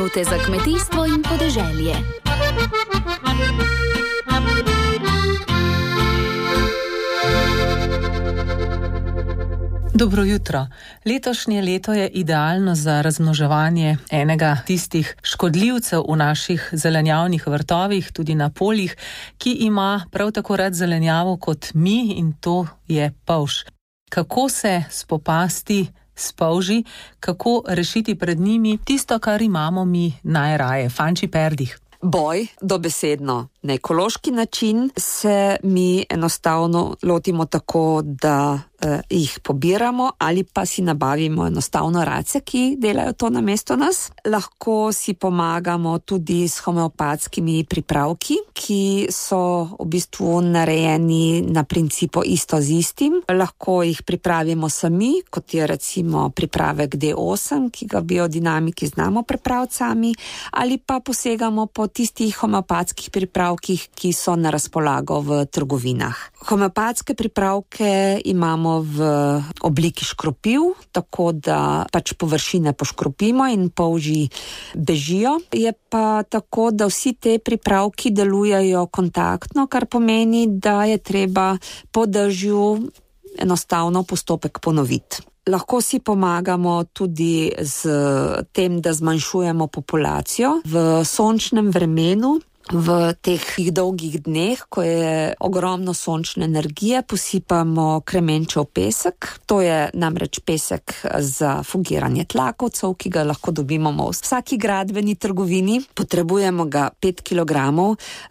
Minute za kmetijstvo in podeželje. Dobro jutro. Letošnje leto je idealno za razmnoževanje enega tistih škodljivcev v naših zelenjavnih vrtovih, tudi na poljih, ki ima prav tako rad zelenjavo kot mi, in to je polž. Kako se spopasti s polži, kako rešiti pred njimi tisto, kar imamo mi najraje, Fanči Perdih? Boj dobesedno. Na ekološki način se mi enostavno lotimo tako, da jih pobiramo ali pa si nabavimo enostavno race, ki delajo to namesto nas. Lahko si pomagamo tudi s homeopatskimi pripravki, ki so v bistvu narejeni na principu isto z istim. Lahko jih pripravimo sami, kot je recimo pripravek D8, ki ga biodinamiki znamo pripraviti sami, ali pa posegamo po tistih homeopatskih pripravkih, ki so na razpolago v trgovinah. Homeopatske pripravke imamo v obliki škropiv, tako da pač površine poškropimo in polži bežijo. Je pa tako, da vsi te pripravki delujejo kontaktno, kar pomeni, da je treba po dežju enostavno postopek ponoviti. Lahko si pomagamo tudi z tem, da zmanjšujemo populacijo v sončnem vremenu. V teh dolgih dneh, ko je ogromno sončne energije, posipamo kremenčev pesek. To je namreč pesek za fungiranje tlakovcev, ki ga lahko dobimo v vsaki gradbeni trgovini. Potrebujemo ga 5 kg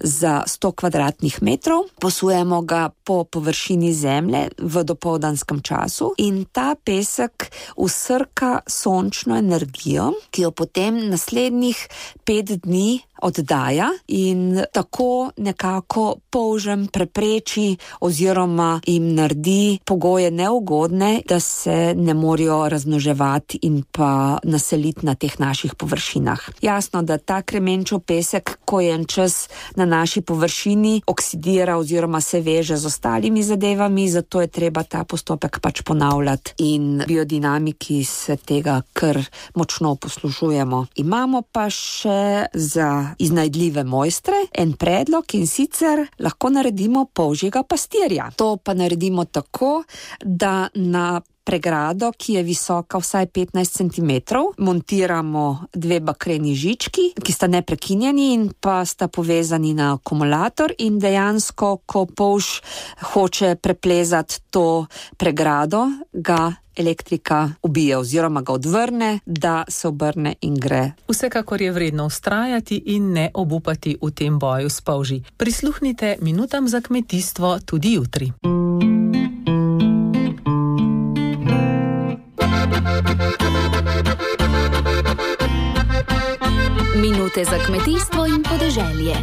za 100 kvadratnih metrov. Posujemo ga po površini zemlje v dopoldanskem času in ta pesek usrka sončno energijo, ki jo potem naslednjih 5 dni oddaja in tako nekako polžem prepreči oziroma jim naredi pogoje neugodne, da se ne morejo razmnoževati in pa naseliti na teh naših površinah. Jasno, da ta kremenčev pesek, ko je en čas na naši površini, oksidira oziroma se veže z ostalimi zadevami, zato je treba ta postopek pač ponavljati in biodinamiki se tega kar močno poslužujemo. Imamo pa še za iznajdljive mojstre en predlog, in sicer lahko naredimo polžjega pastirja. To pa naredimo tako, da na pregrado, ki je visoka vsaj 15 cm, montiramo 2 bakreni žički, ki sta neprekinjeni in pa sta povezani na akumulator, in dejansko, ko polž hoče preplezati to pregrado, ga elektrika ubije oziroma ga odvrne, da se obrne in gre. Vsekakor je vredno vztrajati in ne obupati v tem boju s polži. Prisluhnite minutam za kmetijstvo tudi jutri. Minute za kmetijstvo in podeželje.